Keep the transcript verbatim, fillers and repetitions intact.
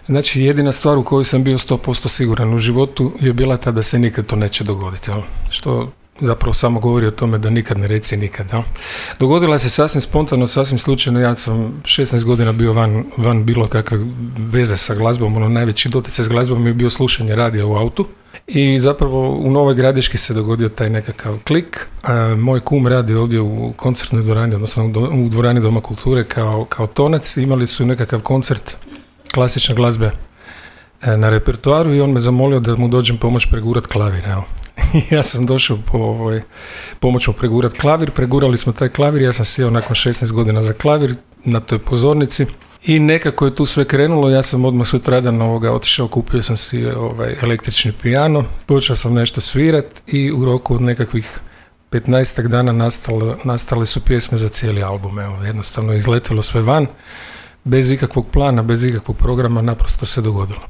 Znači, jedina stvar u kojoj sam bio sto posto siguran u životu je bila ta da se nikad to neće dogoditi, jel? Što zapravo samo govori o tome da nikad ne reci nikad. Jel? Dogodila se sasvim spontano, sasvim slučajno. Ja sam šesnaest godina bio van, van bilo kakve veze sa glazbom. Ono, najveći doticaj s glazbom je bio slušanje radija u autu. I zapravo u Novoj Gradiški se dogodio taj nekakav klik. A, moj kum radi ovdje u koncertnoj dvorani, odnosno u dvorani Doma kulture kao, kao tonac. Imali su nekakav koncert klasične glazbe na repertoaru i on me zamolio da mu dođem pomoć pregurat klavir. Evo. Ja sam došao po ovoj, pomoć mu pregurat klavir, pregurali smo taj klavir, ja sam sjeo nakon šesnaest godina za klavir na toj pozornici i nekako je tu sve krenulo. Ja sam odmah sutradan ovoga otišao, kupio sam si ovaj električni pijano, počeo sam nešto svirat i u roku od nekakvih petnaestak dana nastale, nastale su pjesme za cijeli album. Evo, jednostavno je izletilo sve van, bez ikakvog plana, bez ikakvog programa, naprosto se dogodilo.